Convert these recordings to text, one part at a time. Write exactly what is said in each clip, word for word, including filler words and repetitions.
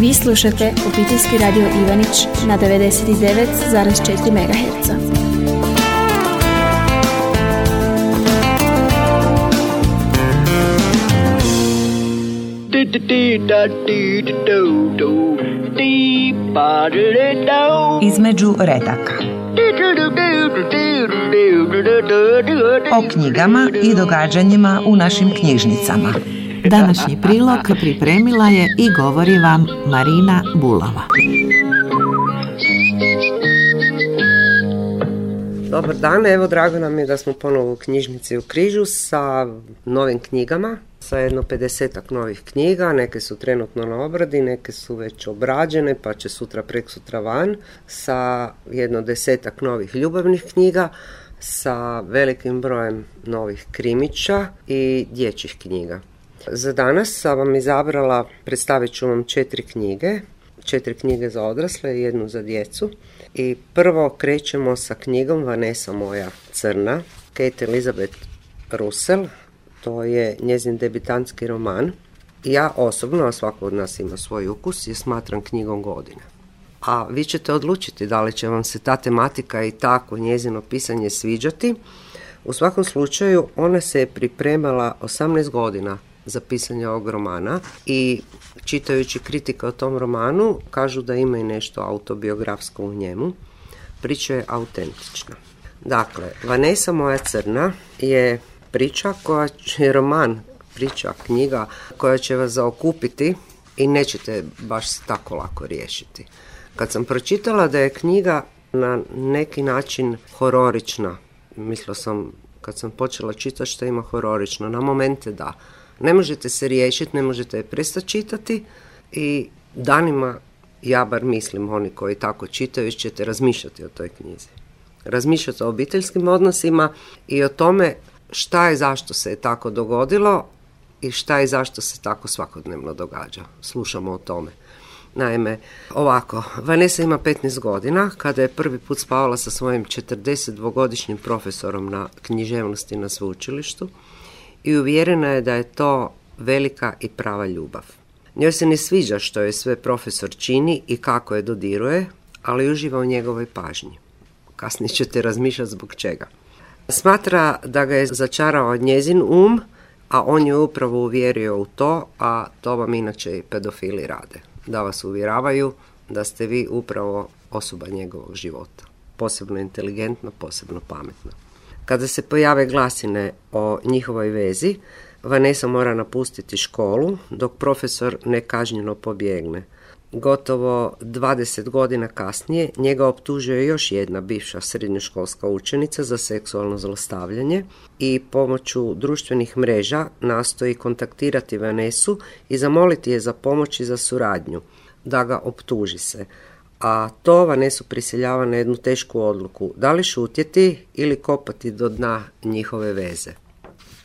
Vi slušate Obiteljski radio Ivanić na devedeset devet zarez četiri megaherca. Između redaka. O knjigama i događanjima u našim knjižnicama. Današnji prilog pripremila je i govori vam Marina Bulava. Dobar dan, evo drago nam je da smo ponovo u knjižnici u Križu sa novim knjigama, sa jedno pedesetak novih knjiga, neke su trenutno na obradi, neke su već obrađene pa će sutra preksutra van, sa jedno desetak novih ljubavnih knjiga, sa velikim brojem novih krimića i dječjih knjiga. Za danas sam vam izabrala, predstavit ću vam četiri knjige, četiri knjige za odrasle i jednu za djecu. I prvo krećemo sa knjigom Vanessa moja crna, Kate Elizabeth Russell, to je njezin debitantski roman. Ja osobno, a svako od nas ima svoj ukus, je smatram knjigom godine. A vi ćete odlučiti da li će vam se ta tematika i tako njezino pisanje sviđati. U svakom slučaju, ona se je pripremala osamnaest godina za pisanje ovog romana i čitajući kritike o tom romanu kažu da ima i nešto autobiografsko u njemu. Priča je autentična. Dakle, Vanessa moja crna je priča koja će, roman, priča, knjiga koja će vas zaokupiti i nećete baš se tako lako riješiti. Kad sam pročitala da je knjiga na neki način hororična, mislila sam kad sam počela čitati što ima hororično, na momente da. Ne možete se riješiti, ne možete je prestati čitati i danima, ja bar mislim, oni koji tako čitaju, ćete razmišljati o toj knjizi. Razmišljati o obiteljskim odnosima i o tome šta je, zašto se je tako dogodilo i šta je, zašto se tako svakodnevno događa. Slušamo o tome. Naime, ovako, Vanessa ima petnaest godina, kada je prvi put spavala sa svojim četrdesetdvogodišnjim profesorom na književnosti na sveučilištu i uvjerena je da je to velika i prava ljubav. Njoj se ne sviđa što je sve profesor čini i kako je dodiruje, ali uživa u njegovoj pažnji. Kasnije ćete razmišljati zbog čega. Smatra da ga je začarao njezin um, a on ju upravo uvjerio u to, a to vam inače i pedofili rade. Da vas uvjeravaju da ste vi upravo osoba njegovog života. Posebno inteligentna, posebno pametna. Kada se pojave glasine o njihovoj vezi, Vanessa mora napustiti školu, dok profesor nekažnjeno pobjegne. Gotovo dvadeset godina kasnije njega optužuje još jedna bivša srednjoškolska učenica za seksualno zlostavljanje i pomoću društvenih mreža nastoji kontaktirati Vanessu i zamoliti je za pomoć i za suradnju, da ga optuži se. A to Vanessu prisiljava na jednu tešku odluku, da li šutjeti ili kopati do dna njihove veze.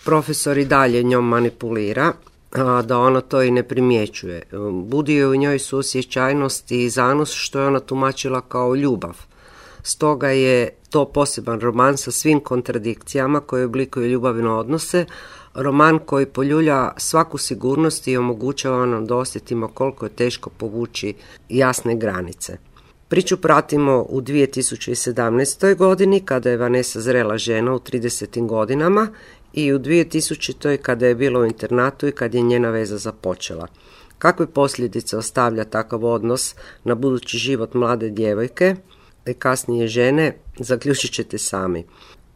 Profesor i dalje njom manipulira, a da ona to i ne primjećuje. Budi joj u njoj suosjećajnost i zanos što je ona tumačila kao ljubav. Stoga je to poseban roman sa svim kontradikcijama koje oblikuju ljubavne odnose, roman koji poljulja svaku sigurnost i omogućava nam da osjetimo koliko je teško povući jasne granice. Priču pratimo u dvije tisuće sedamnaestoj godini kada je Vanessa zrela žena u tridesetim godinama i u dvije tisućitoj kada je bila u internatu i kad je njena veza započela. Kakve posljedice ostavlja takav odnos na budući život mlade djevojke i kasnije žene, zaključit ćete sami.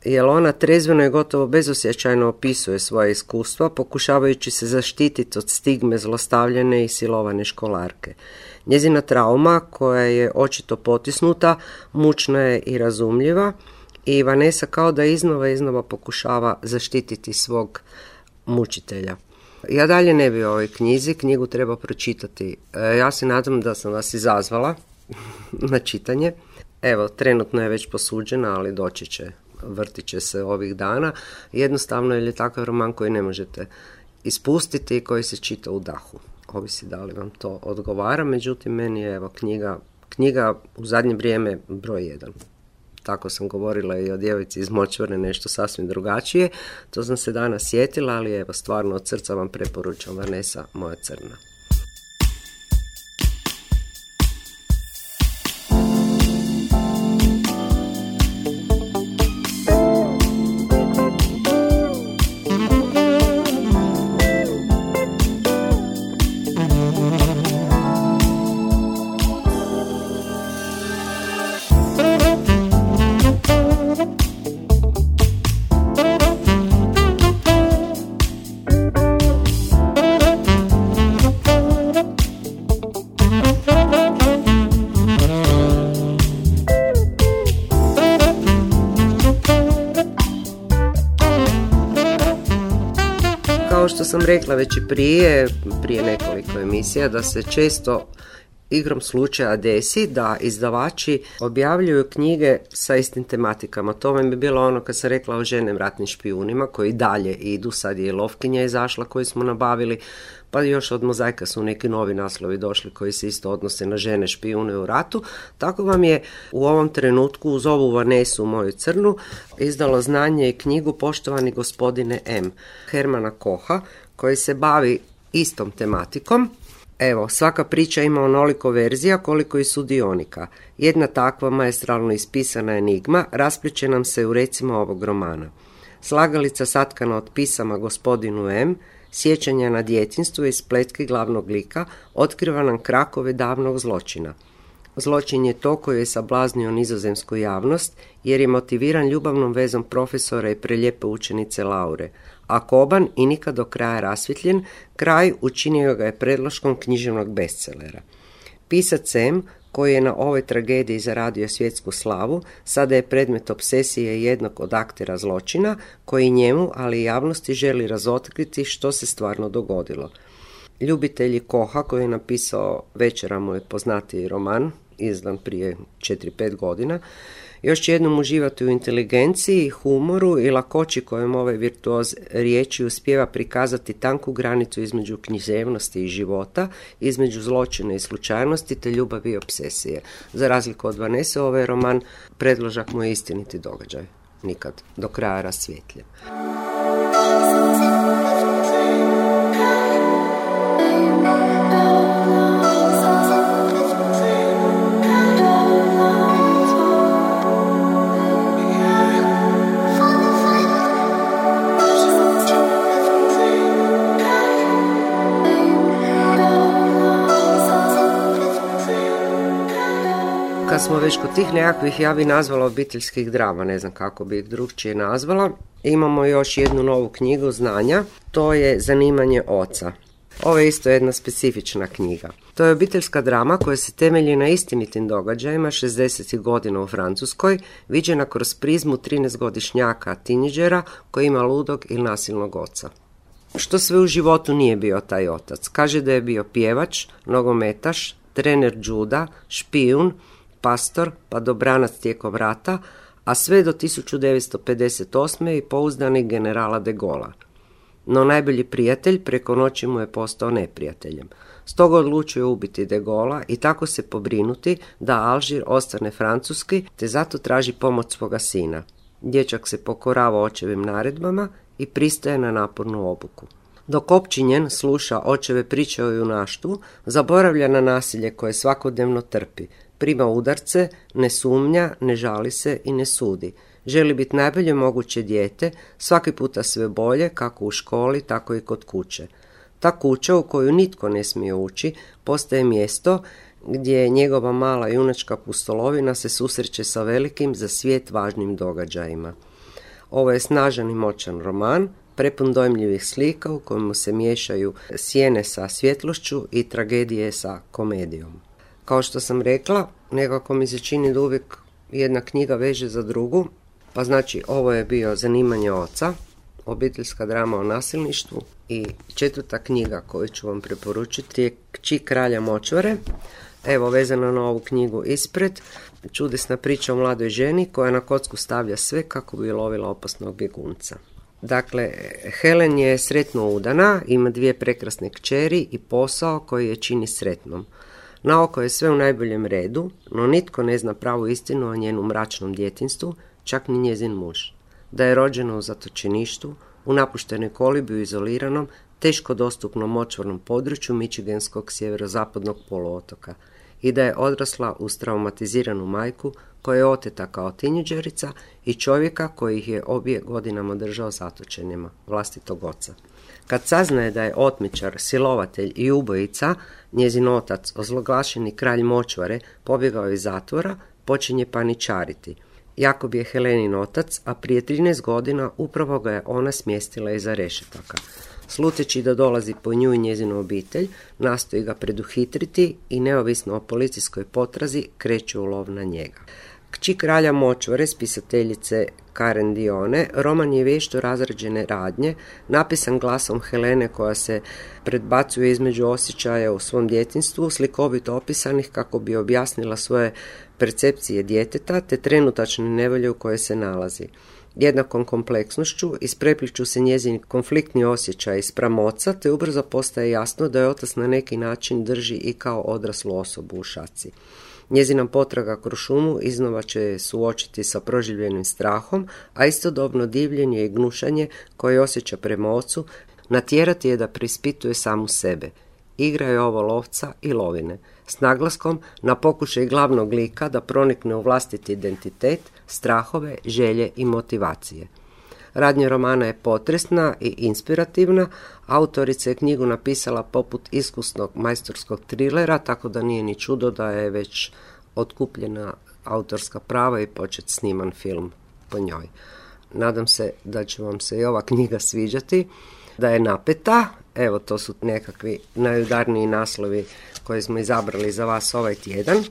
Jer ona trezveno i gotovo bezosjećajno opisuje svoje iskustva, pokušavajući se zaštititi od stigme zlostavljane i silovane školarke. Njezina trauma, koja je očito potisnuta, mučna je i razumljiva i Vanessa kao da iznova iznova pokušava zaštititi svog mučitelja. Ja dalje ne bi o ovoj knjizi, knjigu treba pročitati. Ja se nadam da sam vas izazvala na čitanje. Evo, trenutno je već posuđena, ali doći će, vrtit će se ovih dana. Jednostavno je takav roman koji ne možete ispustiti i koji se čita u dahu. Ovisi da li vam to odgovara, međutim meni je evo knjiga, knjiga u zadnje vrijeme broj jedan. Tako sam govorila i o djevojci iz Močvare, nešto sasvim drugačije. To sam se danas sjetila, ali evo stvarno od srca vam preporučam Vanessa moja crna. sam rekla već i prije, prije nekoliko emisija, da se često igrom slučaja desi da izdavači objavljuju knjige sa istim tematikama. To mi bi bilo ono kad sam rekla o ženem ratnim špijunima koji dalje idu, sad je i Lovkinja izašla koju smo nabavili, pa još od Mozaika su neki novi naslovi došli koji se isto odnose na žene špijune u ratu. Tako vam je u ovom trenutku uz ovu Vanesu moju crnu izdalo Znanje i knjigu Poštovani gospodine M. Hermana Koha koji se bavi istom tematikom. Evo, svaka priča ima onoliko verzija koliko i sudionika. Jedna takva maestralno ispisana enigma raspliče nam se u recimo ovog romana. Slagalica satkana od pisama gospodinu M, sjećanja na djetinjstvo i spletke glavnog lika otkriva nam krakove davnog zločina. Zločin je to koji je sablaznio nizozemsku javnost jer je motiviran ljubavnom vezom profesora i prelijepe učenice Laure, a koban i nikad do kraja rasvjetljen, kraj učinio ga je predloškom književnog bestselera. Pisac M, koji je na ovoj tragediji zaradio svjetsku slavu, sada je predmet obsesije jednog od aktera zločina, koji njemu, ali i javnosti želi razotkriti što se stvarno dogodilo. Ljubitelji Koha, koji je napisao Večera mu je poznatiji roman, izdan prije četiri pet godina, još će jednom uživati u inteligenciji, humoru i lakoći kojom ovaj virtuoz riječi uspijeva prikazati tanku granicu između književnosti i života, između zločina i slučajnosti te ljubavi i obsesije. Za razliku od Vanese, ovaj roman predložak mu je istiniti događaj, nikad do kraja rasvjetljen. Kad smo već kod tih nekakvih, ja bi nazvala obiteljskih drama, ne znam kako bi ih drugčije nazvala, imamo još jednu novu knjigu znanja, to je Zanimanje oca. Ovo je isto jedna specifična knjiga. To je obiteljska drama koja se temelji na istinitim događajima šezdesetih godina u Francuskoj, viđena kroz prizmu trinaestogodišnjaka teenidžera koji ima ludog ili nasilnog oca. Što sve u životu nije bio taj otac? Kaže da je bio pjevač, nogometaš, trener juda, špijun, pastor, pa dobranac tijekom rata, a sve do tisuću devetsto pedeset osme i pouzdanik generala de Gaulea. No najbolji prijatelj preko noći mu je postao neprijateljem. Stoga odlučuje ubiti de Gaulea i tako se pobrinuti da Alžir ostane francuski, te zato traži pomoć svoga sina. Dječak se pokorava očevim naredbama i pristaje na napornu obuku. Dok opčinjen sluša očeve priče o junaštvu, zaboravlja na nasilje koje svakodnevno trpi. Prima udarce, ne sumnja, ne žali se i ne sudi. Želi biti najbolje moguće dijete, svaki puta sve bolje, kako u školi, tako i kod kuće. Ta kuća u koju nitko ne smije ući, postaje mjesto gdje njegova mala junačka pustolovina se susreće sa velikim za svijet važnim događajima. Ovo je snažan i moćan roman, prepun dojmljivih slika u kojemu se miješaju sjene sa svjetlošću i tragedije sa komedijom. Kao što sam rekla, nekako mi se čini da uvijek jedna knjiga veže za drugu, pa znači ovo je bio Zanimanje oca, obiteljska drama o nasilništvu, i četvrta knjiga koju ću vam preporučiti je Kći kralja močvare. Evo, vezano na ovu knjigu ispred, čudesna priča o mladoj ženi koja na kocku stavlja sve kako bi lovila opasnog bjegunca. Dakle, Helen je sretno udana, ima dvije prekrasne kćeri i posao koji je čini sretnom. Naoko je sve u najboljem redu, no nitko ne zna pravu istinu o njenom mračnom djetinjstvu, čak ni njezin muž. Da je rođena u zatočeništvu, u napuštenoj kolibi u izoliranom, teško dostupnom močvarnom području Michiganskog sjeverozapadnog poluotoka i da je odrasla uz traumatiziranu majku koja je oteta kao teenidžerica i čovjeka koji ih je obje godinama držao zatočenima, vlastitog oca. Kad saznaje da je otmičar, silovatelj i ubojica, njezin otac, ozloglašeni kralj močvare, pobjegao iz zatvora, počinje paničariti. Jakob je Helenin otac, a prije trinaest godina upravo ga je ona smjestila iza rešetaka. Sluteći da dolazi po nju i njezinu obitelj, nastoji ga preduhitriti i neovisno o policijskoj potrazi kreću u lov na njega. Kći kralja močvare, spisateljice Karen Dione, roman je vješto razrađene radnje, napisan glasom Helene koja se predbacuje između osjećaja u svom djetinjstvu, slikovito opisanih kako bi objasnila svoje percepcije djeteta te trenutačne nevolje u kojoj se nalazi. Jednakom kompleksnošću isprepliču se njezini konfliktni osjećaj spram oca, te ubrzo postaje jasno da je otac na neki način drži i kao odraslu osobu u šaci. Njezina potraga kroz šumu iznova će suočiti sa proživljenim strahom, a istodobno divljenje i gnušanje koje osjeća prema ocu natjerati je da preispituje samu sebe. Igra je ovo lovca i lovine, s naglaskom na pokušaj glavnog lika da pronikne u vlastiti identitet, strahove, želje i motivacije. Radnja romana je potresna i inspirativna, autorica je knjigu napisala poput iskusnog majstorskog trilera, tako da nije ni čudo da je već otkupljena autorska prava i počet sniman film po njoj. Nadam se da će vam se i ova knjiga sviđati, da je napeta. Evo, to su nekakvi najudarniji naslovi koje smo izabrali za vas ovaj tjedan,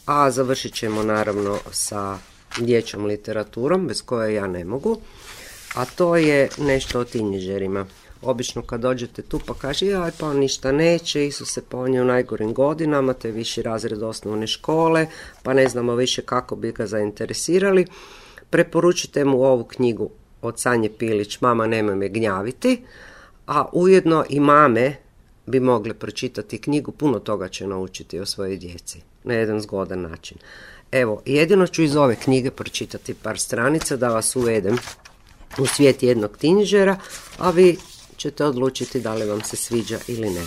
a završit ćemo naravno sa dječjom literaturom, bez koje ja ne mogu, a to je nešto o tinejdžerima. Obično kad dođete tu pa kaže, jaj, pa on ništa neće, Isuse, pa on je u najgorim godinama, to je viši razred osnovne škole, pa ne znamo više kako bi ga zainteresirali. Preporučite mu ovu knjigu od Sanje Pilić, Mama, nemoj me gnjaviti, a ujedno i mame bi mogle pročitati knjigu, puno toga će naučiti o svojoj djeci na jedan zgodan način. Evo, jedino ću iz ove knjige pročitati par stranica da vas uvedem u svijet jednog tinejdžera, a vi ćete odlučiti da li vam se sviđa ili ne.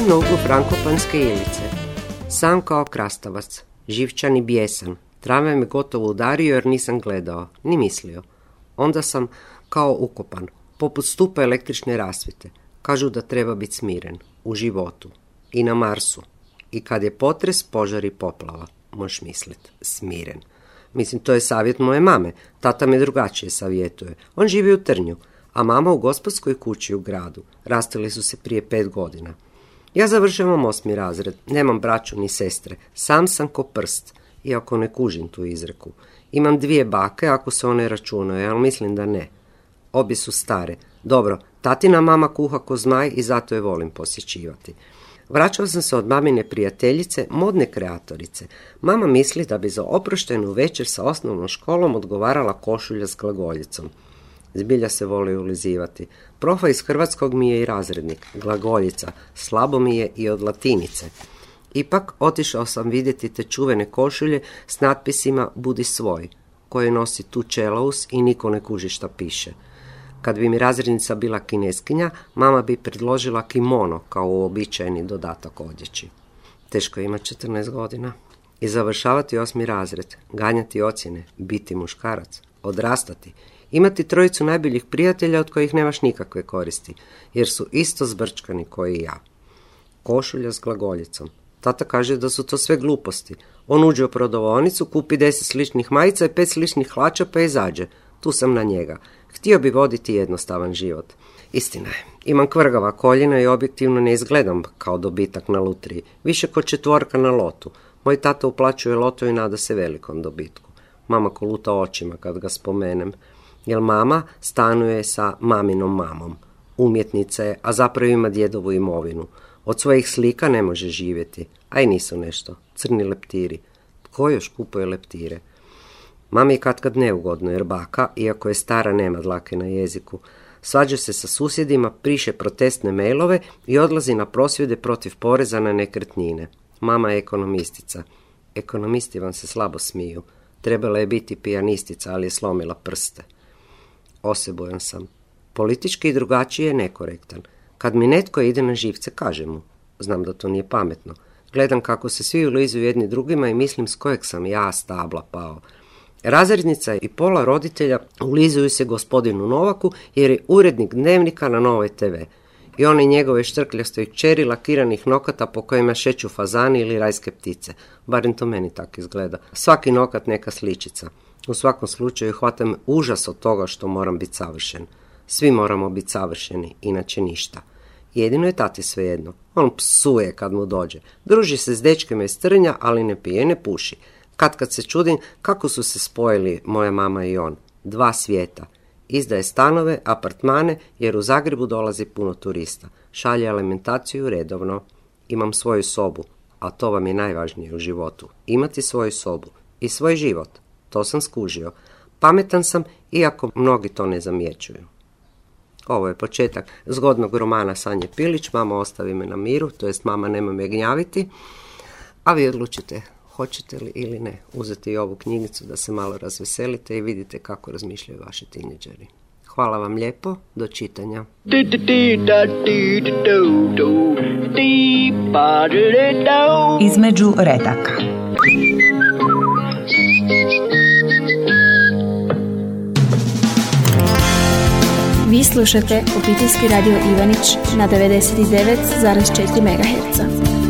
Na uglu Frankopanske Ilice. Sam kao krastavac, živčan i bijesan. Tramvaj me gotovo udario jer nisam gledao, ni mislio. Onda sam kao ukopan, poput stupa električne rasvjete. Kažu da treba biti smiren, u životu. I na Marsu. I kad je potres, požar i poplava. Možeš mislit, smiren. Mislim, to je savjet moje mame. Tata me drugačije savjetuje. On živi u Trnju, a mama u gospodskoj kući u gradu. Rastali su se prije pet godina. Ja završavam osmi razred, nemam braću ni sestre, sam sam ko prst, iako ne kužim tu izreku. Imam dvije bake ako se one računaju, ali mislim da ne. Obje su stare. Dobro, tatina mama kuha ko zmaj i zato je volim posjećivati. Vraćao sam se od mamine prijateljice, modne kreatorice. Mama misli da bi za oproštenu večer sa osnovnom školom odgovarala košulja s glagoljicom. Zbilja se voli ulizivati. Profa iz hrvatskog mi je i razrednik, glagoljica, slabo mi je i od latinice. Ipak otišao sam vidjeti te čuvene košulje s natpisima Budi svoj, koje nosi tu čelaus i niko ne kuži šta piše. Kad bi mi razrednica bila kineskinja, mama bi predložila kimono kao uobičajeni dodatak odjeći. Teško ima četrnaest godina. I završavati osmi razred, ganjati ocjene, biti muškarac, odrastati, imati trojicu najboljih prijatelja od kojih nemaš nikakve koristi, jer su isto zbrčkani koji i ja. Košulja s glagoljicom. Tata kaže da su to sve gluposti. On uđe u prodavaonicu, kupi deset sličnih majica i pet sličnih hlača pa izađe. Tu sam na njega. Htio bi voditi jednostavan život. Istina je, imam kvrgava koljena i objektivno ne izgledam kao dobitak na lutriji, više kod četvorka na lotu. Moj tata uplaćuje loto i nada se velikom dobitku. Mama koluta očima kad ga spomenem. Jer mama stanuje sa maminom mamom. Umjetnica je, a zapravo ima djedovu imovinu. Od svojih slika ne može živjeti, a i nisu nešto. Crni leptiri. Tko još kupuje leptire? Mami je katkad neugodno, jer baka, iako je stara, nema dlake na jeziku. Svađa se sa susjedima, piše protestne mailove i odlazi na prosvjede protiv poreza na nekretnine. Mama je ekonomistica. Ekonomisti vam se slabo smiju. Trebala je biti pijanistica, ali je slomila prste. Osebujan sam. Politički i drugačije je nekorektan. Kad mi netko ide na živce, kažem mu. Znam da to nije pametno. Gledam kako se svi ulizuju jedni drugima i mislim s kojeg sam ja stabla pao. Razrednica i pola roditelja ulizuju se gospodinu Novaku jer je urednik Dnevnika na Novoj te ve. I one njegove štrkljaste kćeri lakiranih nokata po kojima šeću fazani ili rajske ptice. Barem to meni tako izgleda. Svaki nokat neka sličica. U svakom slučaju hvata me užas od toga što moram biti savršen. Svi moramo biti savršeni, inače ništa. Jedino je tati svejedno. On psuje kad mu dođe. Druži se s dečkima iz Trnja, ali ne pije, ne puši. Kad kad se čudim kako su se spojili moja mama i on. Dva svijeta. Izdaje stanove, apartmane, jer u Zagrebu dolazi puno turista. Šalje alimentaciju redovno. Imam svoju sobu, a to vam je najvažnije u životu. Imati svoju sobu i svoj život. To sam skužio. Pametan sam, iako mnogi to ne zamjećuju. Ovo je početak zgodnog romana Sanje Pilić, Mama ostavi me na miru, to jest Mama nema me gnjaviti, a vi odlučite hoćete li ili ne uzeti i ovu knjigicu da se malo razveselite i vidite kako razmišljaju vaši tineđeri. Hvala vam lijepo, do čitanja. Između redaka. Vi slušate Obiteljski radio Ivanić na devedeset devet zarez četiri megaherca.